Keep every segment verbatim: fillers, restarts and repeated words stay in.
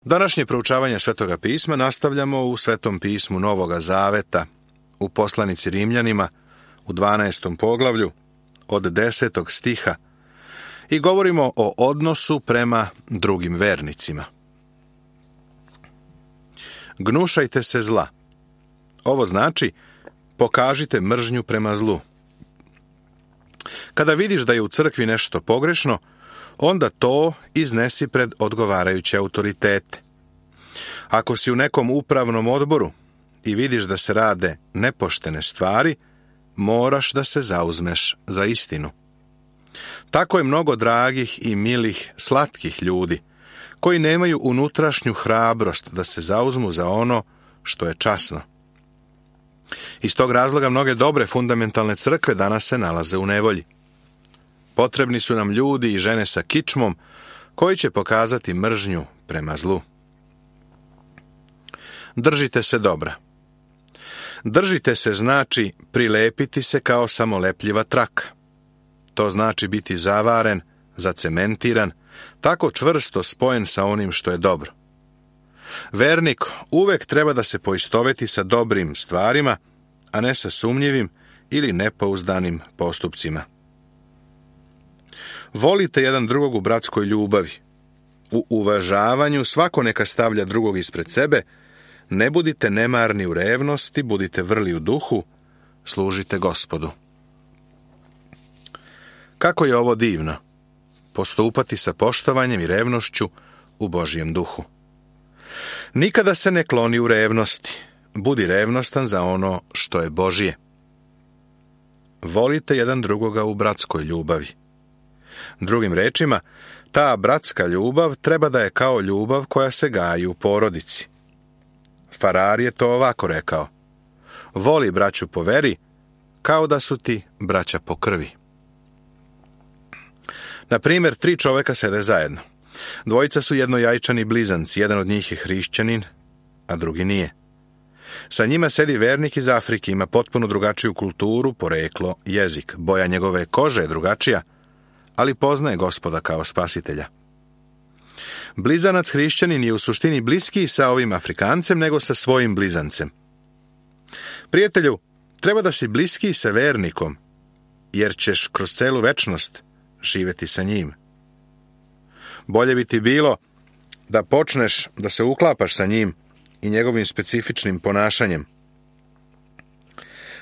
Današnje proučavanje Svetoga pisma nastavljamo u Svetom pismu Novoga Zaveta, u poslanici Rimljanima, u dvanaestom poglavlju, od desetog stiha, i govorimo o odnosu prema drugim vernicima. Gnušajte se zla. Ovo znači, pokažite mržnju prema zlu. Kada vidiš da je u crkvi nešto pogrešno, onda to iznesi pred odgovarajuće autoritete. Ako si u nekom upravnom odboru i vidiš da se rade nepoštene stvari, moraš da se zauzmeš za istinu. Tako je mnogo dragih i milih, slatkih ljudi, koji nemaju unutrašnju hrabrost da se zauzmu za ono što je časno. Iz tog razloga mnoge dobre fundamentalne crkve danas se nalaze u nevolji. Potrebni su nam ljudi i žene sa kičmom koji će pokazati mržnju prema zlu. Držite se dobra. Držite se znači prilepiti se kao samolepljiva traka. To znači biti zavaren, zacementiran, tako čvrsto spojen sa onim što je dobro. Vernik uvek treba da se poistoveti sa dobrim stvarima, a ne sa sumnjivim ili nepouzdanim postupcima. Volite jedan drugog u bratskoj ljubavi. U uvažavanju svako neka stavlja drugog ispred sebe, ne budite nemarni u revnosti, budite vrli u duhu, služite Gospodu. Kako je ovo divno, postupati sa poštovanjem i revnošću u Božjem duhu. Nikada se ne kloni u revnosti, budi revnostan za ono što je Božje. Volite jedan drugoga u bratskoj ljubavi. Drugim rečima, ta bratska ljubav treba da je kao ljubav koja se gaji u porodici. Farar je to ovako rekao: voli braću po veri, kao da su ti braća po krvi. Na primjer, tri čoveka sede zajedno. Dvojica su jednojajčani blizanci, jedan od njih je hrišćanin, a drugi nije. Sa njima sedi vernik iz Afrike, ima potpuno drugačiju kulturu, poreklo, jezik. Boja njegove kože je drugačija, ali poznaje Gospoda kao spasitelja. Blizanac hrišćanin je u suštini bliskiji sa ovim Afrikancem nego sa svojim blizancem. Prijatelju, treba da si bliskiji sa vernikom, jer ćeš kroz celu večnost živeti sa njim. Bolje bi ti bilo da počneš da se uklapaš sa njim i njegovim specifičnim ponašanjem.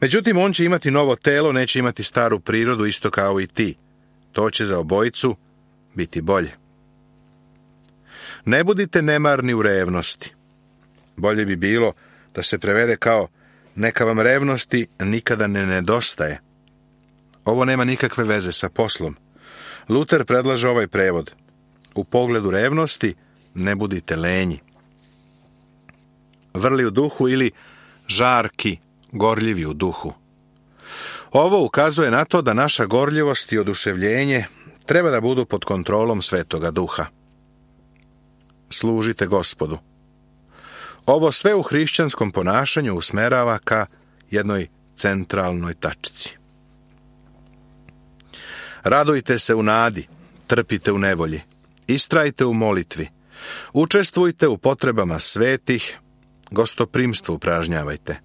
Međutim, on će imati novo telo, neće imati staru prirodu isto kao i ti. To će za obojicu biti bolje. Ne budite nemarni u revnosti. Bolje bi bilo da se prevede kao neka vam revnosti nikada ne nedostaje. Ovo nema nikakve veze sa poslom. Luter predlaže ovaj prevod: u pogledu revnosti ne budite lenji. Vrli u duhu ili žarki, gorljivi u duhu. Ovo ukazuje na to da naša gorljivost i oduševljenje treba da budu pod kontrolom Svetoga Duha. Služite Gospodu. Ovo sve u hrišćanskom ponašanju usmerava ka jednoj centralnoj tačci. Radujte se u nadi, trpite u nevolji, istrajte u molitvi, učestvujte u potrebama svetih, gostoprimstvo upražnjavajte.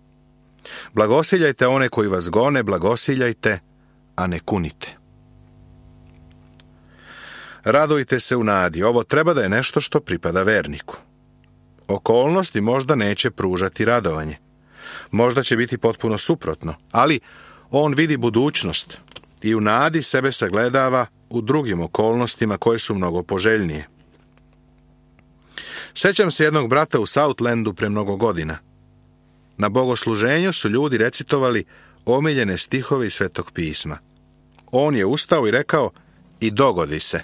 Blagosiljajte one koji vas gone, blagosiljajte, a ne kunite. Radujte se u nadi, ovo treba da je nešto što pripada verniku. Okolnosti možda neće pružati radovanje. Možda će biti potpuno suprotno, ali on vidi budućnost i u nadi sebe sagledava u drugim okolnostima koje su mnogo poželjnije. Sećam se jednog brata u Southlandu pre mnogo godina. Na bogosluženju su ljudi recitovali omiljene stihove iz Svetog pisma. On je ustao i rekao: i dogodi se.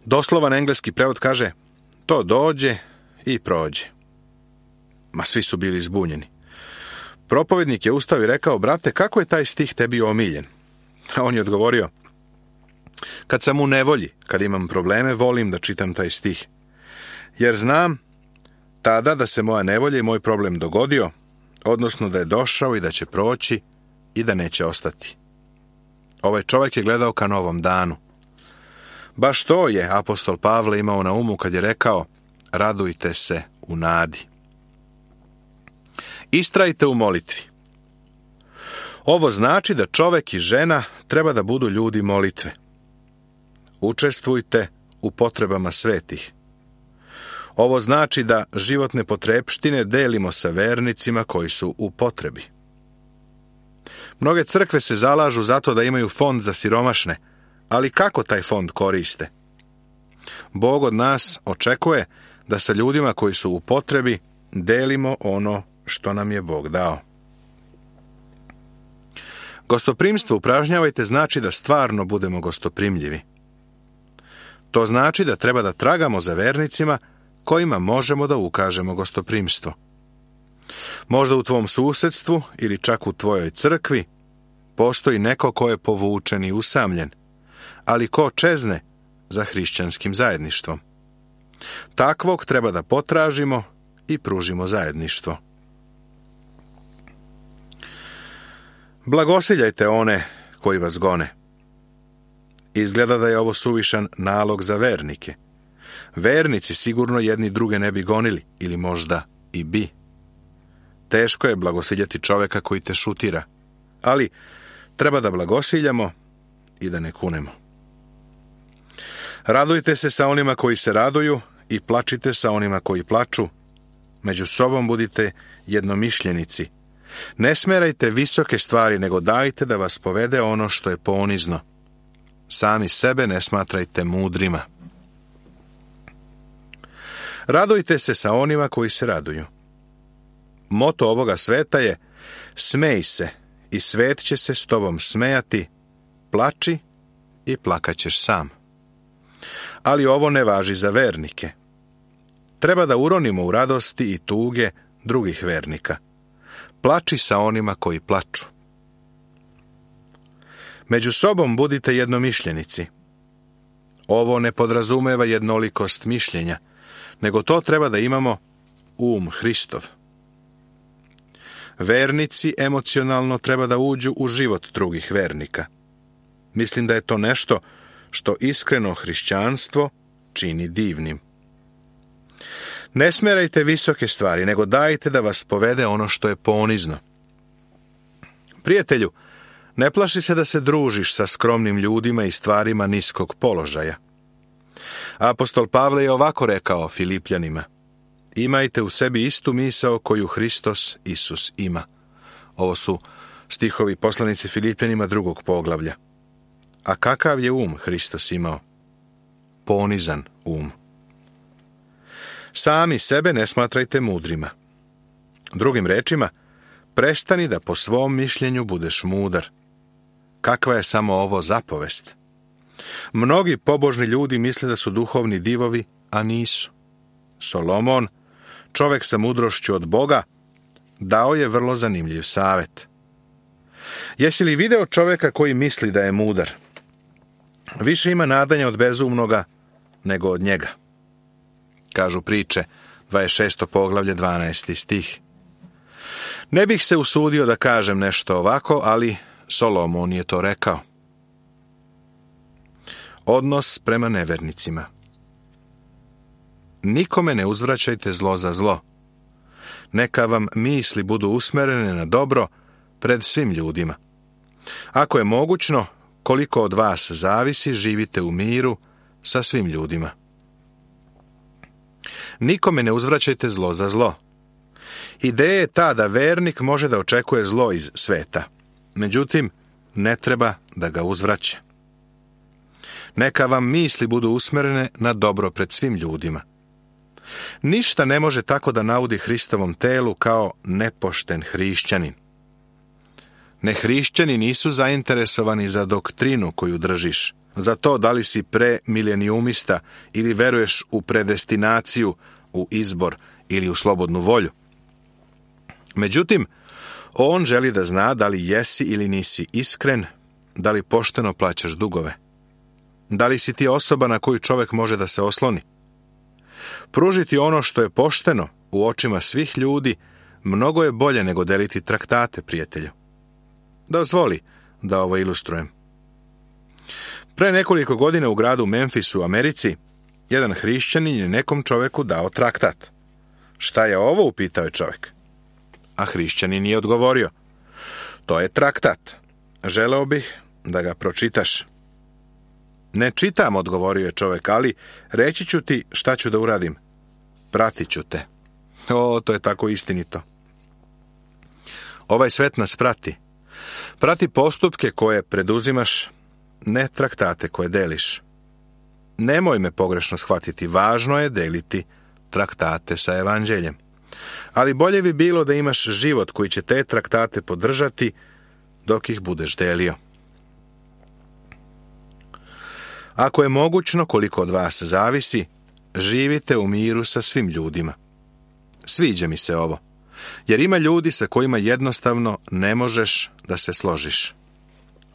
Doslovan engleski prevod kaže: to dođe i prođe. Ma svi su bili zbunjeni. Propovednik je ustao i rekao: brate, kako je taj stih tebi omiljen? A on je odgovorio: kad sam u nevolji, kad imam probleme, volim da čitam taj stih. Jer znam tada da se moja nevolja i moj problem dogodio, odnosno da je došao i da će proći i da neće ostati. Ovaj čovjek je gledao ka novom danu. Baš to je apostol Pavle imao na umu kad je rekao: radujte se u nadi. Istrajte u molitvi. Ovo znači da čovek i žena treba da budu ljudi molitve. Učestvujte u potrebama svetih. Ovo znači da životne potrepštine delimo sa vernicima koji su u potrebi. Mnoge crkve se zalažu zato da imaju fond za siromašne, ali kako taj fond koriste? Bog od nas očekuje da sa ljudima koji su u potrebi delimo ono što nam je Bog dao. Gostoprimstvo upražnjavajte znači da stvarno budemo gostoprimljivi. To znači da treba da tragamo za vernicima kojima možemo da ukažemo gostoprimstvo. Možda u tvom susedstvu ili čak u tvojoj crkvi postoji neko ko je povučen i usamljen, ali ko čezne za hrišćanskim zajedništvom. Takvog treba da potražimo i pružimo zajedništvo. Blagosiljajte one koji vas gone. Izgleda da je ovo suvišan nalog za vernike. Vernici sigurno jedni druge ne bi gonili, ili možda i bi. Teško je blagosiljati čoveka koji te šutira, ali treba da blagosiljamo i da ne kunemo. Radujte se sa onima koji se raduju i plačite sa onima koji plaču. Među sobom budite jednomišljenici. Ne smerajte visoke stvari, nego dajte da vas povede ono što je ponizno. Sami sebe ne smatrajte mudrima. Radujte se sa onima koji se raduju. Moto ovoga sveta je: smej se i svet će se s tobom smejati, plači i plakaćeš sam. Ali ovo ne važi za vernike. Treba da uronimo u radosti i tuge drugih vernika. Plači sa onima koji plaču. Među sobom budite jednomišljenici. Ovo ne podrazumeva jednolikost mišljenja, nego to treba da imamo um Hristov. Vernici emocionalno treba da uđu u život drugih vernika. Mislim da je to nešto što iskreno hrišćanstvo čini divnim. Ne smerajte visoke stvari, nego dajte da vas povede ono što je ponizno. Prijatelju, ne plaši se da se družiš sa skromnim ljudima i stvarima niskog položaja. Apostol Pavle je ovako rekao Filipljanima: imajte u sebi istu misao koju Hristos Isus ima. Ovo su stihovi poslanici Filipljanima drugog poglavlja. A kakav je um Hristos imao? Ponizan um. Sami sebe ne smatrajte mudrima. Drugim rečima, prestani da po svom mišljenju budeš mudar. Kakva je samo ovo zapovest? Mnogi pobožni ljudi misle da su duhovni divovi, a nisu. Solomon, čovek sa mudrošću od Boga, dao je vrlo zanimljiv savet. Jesi li video čoveka koji misli da je mudar? Više ima nadanja od bezumnoga nego od njega. Kažu priče, dvadeset šesto poglavlje, dvanaesti stih. Ne bih se usudio da kažem nešto ovako, ali Solomon je to rekao. Odnos prema nevernicima. Nikome ne uzvraćajte zlo za zlo. Neka vam misli budu usmerene na dobro pred svim ljudima. Ako je mogućno, koliko od vas zavisi, živite u miru sa svim ljudima. Nikome ne uzvraćajte zlo za zlo. Ideja je ta da vernik može da očekuje zlo iz sveta. Međutim, ne treba da ga uzvraća. Neka vam misli budu usmerene na dobro pred svim ljudima. Ništa ne može tako da naudi Hristovom telu kao nepošten hrišćanin. Nehrišćani nisu zainteresovani za doktrinu koju držiš, za to da li si premilenijumista ili veruješ u predestinaciju, u izbor ili u slobodnu volju. Međutim, on želi da zna da li jesi ili nisi iskren, da li pošteno plaćaš dugove. Da li si ti osoba na koju čovek može da se osloni? Pružiti ono što je pošteno u očima svih ljudi mnogo je bolje nego deliti traktate, prijatelju. Dozvoli da ovo ilustrujem. Pre nekoliko godina u gradu Memphisu u Americi Jedan hrišćanin je nekom čoveku dao traktat. Šta je ovo, upitao je čovek. A hrišćanin je odgovorio, to je traktat. Želeo bih da ga pročitaš. Ne čitam, odgovorio je čovek, ali reći ću ti šta ću da uradim. Pratit ću te. O, to je tako istinito. Ovaj svet nas prati. Prati postupke koje preduzimaš, ne traktate koje deliš. Nemoj me pogrešno shvatiti, važno je deliti traktate sa evanđeljem. Ali bolje bi bilo da imaš život koji će te traktate podržati dok ih budeš delio. Ako je mogućno, koliko od vas zavisi, živite u miru sa svim ljudima. Sviđa mi se ovo, jer ima ljudi sa kojima jednostavno ne možeš da se složiš.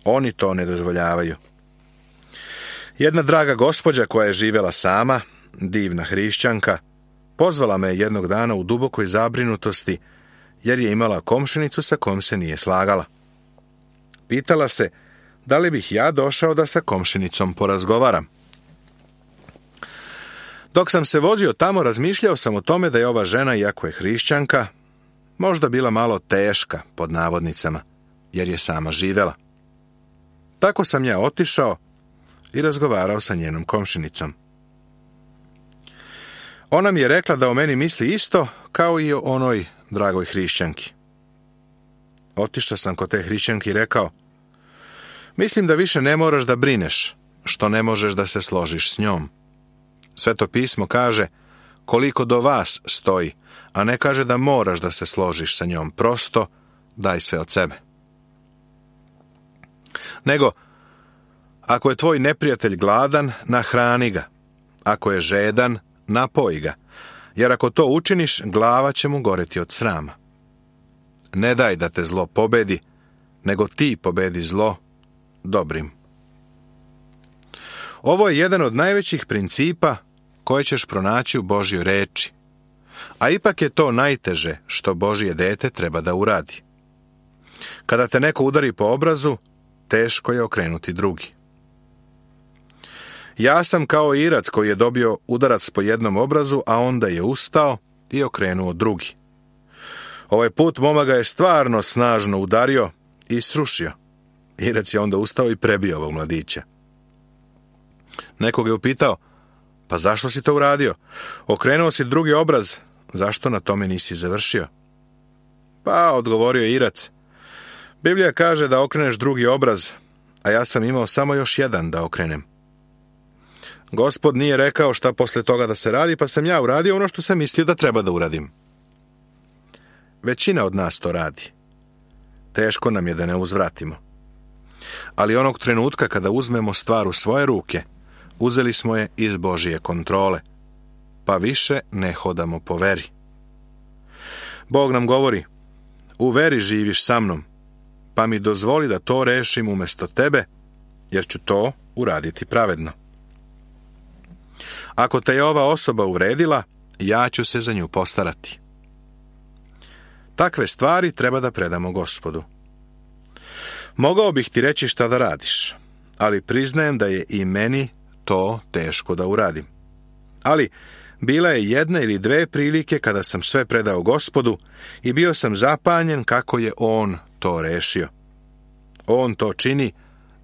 Oni to ne dozvoljavaju. Jedna draga gospođa koja je živjela sama, divna hrišćanka, pozvala me jednog dana u dubokoj zabrinutosti, jer je imala komšinicu sa kom se nije slagala. Pitala se, da li bih ja došao da sa komšinicom porazgovaram. Dok sam se vozio tamo, razmišljao sam o tome da je ova žena, iako je hrišćanka, možda bila malo teška, pod navodnicama, jer je sama živjela. Tako sam ja otišao i razgovarao sa njenom komšinicom. Ona mi je rekla da o meni misli isto kao i o onoj dragoj hrišćanki. Otišao sam kod te hrišćanke i rekao, mislim da više ne moraš da brineš, što ne možeš da se složiš s njom. Sveto pismo kaže, koliko do vas stoji, a ne kaže da moraš da se složiš sa njom, prosto daj sve od sebe. Nego, ako je tvoj neprijatelj gladan, nahrani ga. Ako je žedan, napoji ga. Jer ako to učiniš, glava će mu goreti od srama. Ne daj da te zlo pobedi, nego ti pobedi zlo dobrim. Ovo je jedan od najvećih principa koje ćeš pronaći u Božjoj reči. A ipak je to najteže što Božje dete treba da uradi. Kada te neko udari po obrazu, teško je okrenuti drugi. Ja sam kao Irac koji je dobio udarac po jednom obrazu, a onda je ustao i okrenuo drugi. Ovaj put momak ga je stvarno snažno udario i srušio. Irac je onda ustao i prebio ovog mladića. Neko ga je upitao, pa zašto si to uradio? Okrenuo si drugi obraz, zašto na tome nisi završio? Pa, odgovorio je Irac, Biblija kaže da okreneš drugi obraz, a ja sam imao samo još jedan da okrenem. Gospod nije rekao šta posle toga da se radi, pa sam ja uradio ono što sam mislio da treba da uradim. Većina od nas to radi. Teško nam je da ne uzvratimo. Ali onog trenutka kada uzmemo stvar u svoje ruke, uzeli smo je iz Božije kontrole, pa više ne hodamo po veri. Bog nam govori, u veri živiš sa mnom, pa mi dozvoli da to rešim umjesto tebe, jer ću to uraditi pravedno. Ako te je ova osoba uvredila, ja ću se za nju postarati. Takve stvari treba da predamo Gospodu. Mogao bih ti reći šta da radiš, ali priznajem da je i meni to teško da uradim. Ali bila je jedna ili dve prilike kada sam sve predao Gospodu i bio sam zapanjen kako je On to rešio. On to čini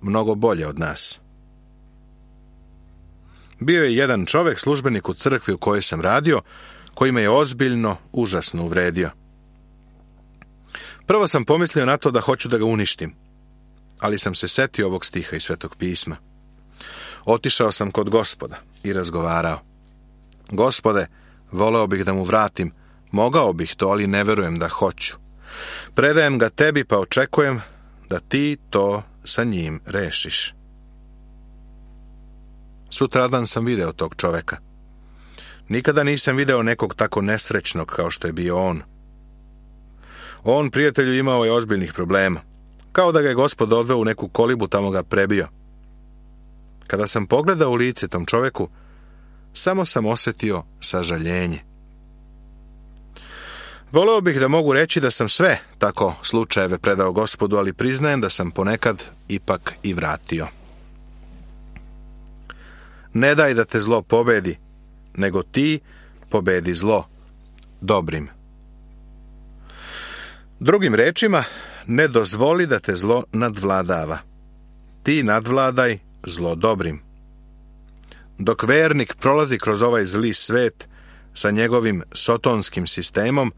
mnogo bolje od nas. Bio je jedan čovjek, službenik u crkvi u kojoj sam radio, koji me je ozbiljno, užasno uvredio. Prvo sam pomislio na to da hoću da ga uništim, ali sam se setio ovog stiha iz Svetog pisma. Otišao sam kod Gospoda i razgovarao. Gospode, voleo bih da mu vratim, mogao bih to, ali ne verujem da hoću. Predajem ga tebi, pa očekujem da ti to sa njim rešiš. Sutradan sam video tog čoveka. Nikada nisam video nekog tako nesrećnog kao što je bio on. On, prijatelju, imao je ozbiljnih problema. Kao da ga je Gospod odveo u neku kolibu, tamo ga prebio. Kada sam pogledao u lice tom čoveku, samo sam osjetio sažaljenje. Voleo bih da mogu reći da sam sve tako slučajeve predao Gospodu, ali priznajem da sam ponekad ipak i vratio. Ne daj da te zlo pobedi, nego ti pobedi zlo dobrim. Drugim rečima, ne dozvoli da te zlo nadvladava. Ti nadvladaj zlo dobrim. Dok vernik prolazi kroz ovaj zli svet sa njegovim sotonskim sistemom,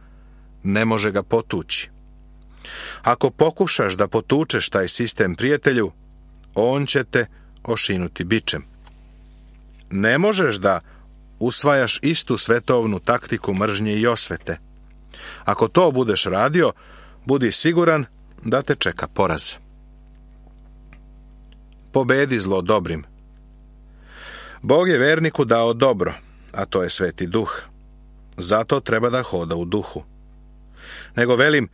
ne može ga potući. Ako pokušaš da potučeš taj sistem, prijatelju, on će te ošinuti bičem. Ne možeš da usvajaš istu svetovnu taktiku mržnje i osvete. Ako to budeš radio, budi siguran da te čeka poraz. Pobedi zlo dobrim. Bog je verniku dao dobro, a to je Sveti Duh. Zato treba da hoda u duhu. Nego velim,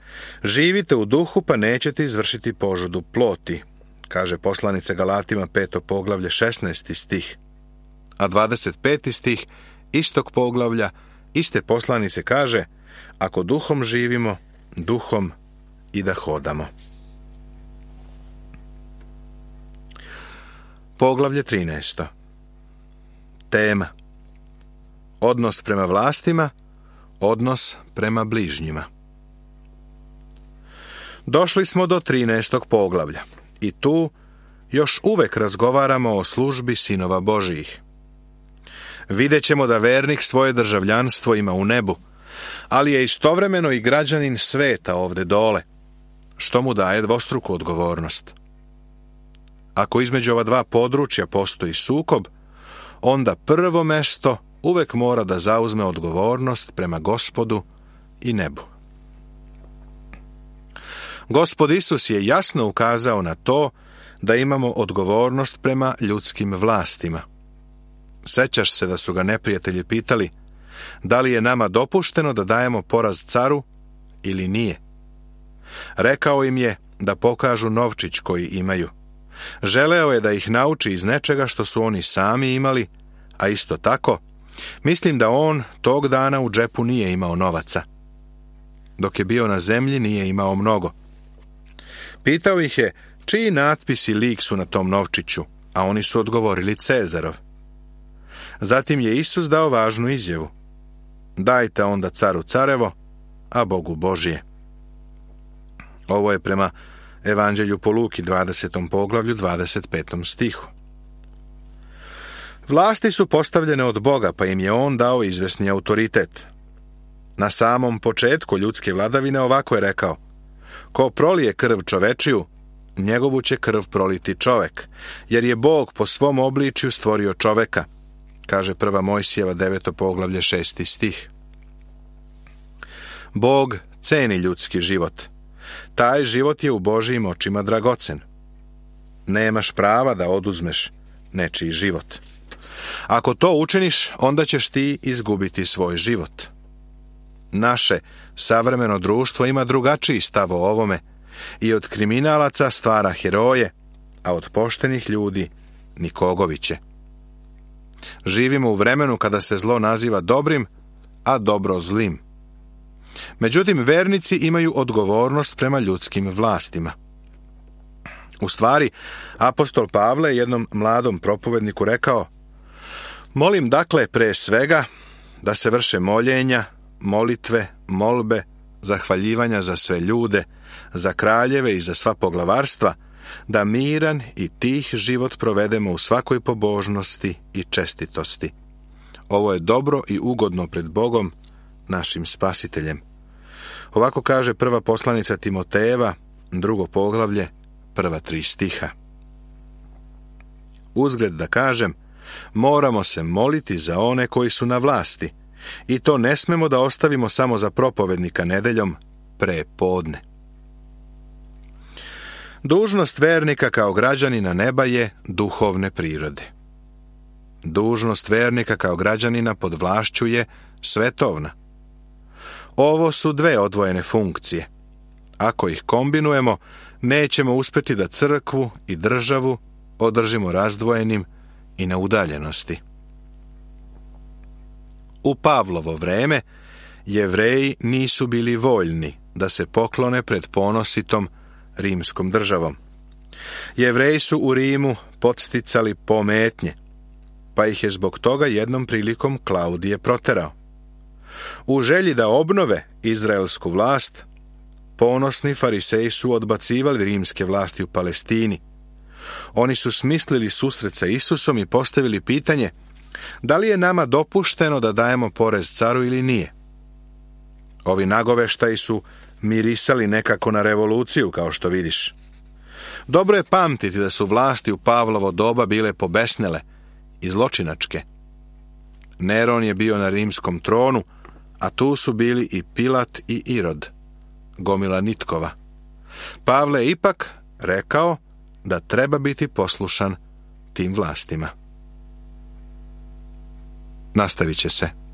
živite u duhu, pa nećete izvršiti požudu ploti, kaže poslanica Galatima peto poglavlje šesnaesti stih. A dvadeset peti stih istog poglavlja iste poslanice kaže, ako duhom živimo, duhom i da hodamo. Poglavlje trinaesto. Tema: odnos prema vlastima, odnos prema bližnjima. Došli smo do trinaestog poglavlja i tu još uvek razgovaramo o službi sinova Božijih. Vidjet ćemo da vernik svoje državljanstvo ima u nebu, ali je istovremeno i građanin sveta ovde dole, što mu daje dvostruku odgovornost. Ako između ova dva područja postoji sukob, onda prvo mesto uvek mora da zauzme odgovornost prema Gospodu i nebu. Gospod Isus je jasno ukazao na to da imamo odgovornost prema ljudskim vlastima. Sećaš se da su ga neprijatelji pitali da li je nama dopušteno da dajemo poraz caru ili nije. Rekao im je da pokažu novčić koji imaju. Želeo je da ih nauči iz nečega što su oni sami imali, a isto tako, mislim da on tog dana u džepu nije imao novaca. Dok je bio na zemlji, nije imao mnogo. Pitao ih je čiji natpis i lik su na tom novčiću, a oni su odgovorili Cezarov. Zatim je Isus dao važnu izjavu: dajte onda caru carevo, a Bogu Božije. Ovo je prema Evanđelju po Luki dvadesetom poglavlju dvadeset petom stihu. Vlasti su postavljene od Boga, pa im je on dao izvesni autoritet. Na samom početku ljudske vladavine ovako je rekao: ko prolije krv čovečiju, njegovu će krv proliti čovek, jer je Bog po svom obličju stvorio čoveka, kaže prva Mojsijeva deveto poglavlje šesti stih. Bog ceni ljudski život. Taj život je u Božijim očima dragocen. Nemaš prava da oduzmeš nečiji život. Ako to učiniš, onda ćeš ti izgubiti svoj život. Naše savremeno društvo ima drugačiji stav o ovome i od kriminalaca stvara heroje, a od poštenih ljudi nikogoviće. Živimo u vremenu kada se zlo naziva dobrim, a dobro zlim. Međutim, vernici imaju odgovornost prema ljudskim vlastima. U stvari, apostol Pavle je jednom mladom propovedniku rekao: molim dakle pre svega da se vrše moljenja, molitve, molbe, zahvaljivanja za sve ljude, za kraljeve i za sva poglavarstva, da miran i tih život provedemo u svakoj pobožnosti i čestitosti. Ovo je dobro i ugodno pred Bogom, našim spasiteljem. Ovako kaže prva poslanica Timotejeva, drugo poglavlje, prva tri stiha. Uzgled da kažem, moramo se moliti za one koji su na vlasti, i to ne smemo da ostavimo samo za propovednika nedeljom pre podne. Dužnost vernika kao građanina neba je duhovne prirode. Dužnost vernika kao građanina pod vlašću je svetovna. Ovo su dve odvojene funkcije. Ako ih kombinujemo, nećemo uspeti da crkvu i državu održimo razdvojenim i na udaljenosti. U Pavlovo vreme Jevreji nisu bili voljni da se poklone pred ponositom rimskom državom. Jevreji su u Rimu podsticali pometnje. pa ih je zbog toga jednom prilikom Klaudije proterao. U želji da obnove izraelsku vlast, ponosni fariseji su odbacivali rimske vlasti u Palestini. Oni su smislili susret sa Isusom i postavili pitanje da li je nama dopušteno da dajemo porez caru ili nije. Ovi nagoveštaji su mirisali nekako na revoluciju, kao što vidiš. Dobro je pamtiti da su vlasti u Pavlovo doba bile pobesnele i zločinačke. Neron je bio na rimskom tronu, a tu su bili i Pilat i Irod, gomila nitkova. Pavle je ipak rekao da treba biti poslušan tim vlastima. Nastavit će se.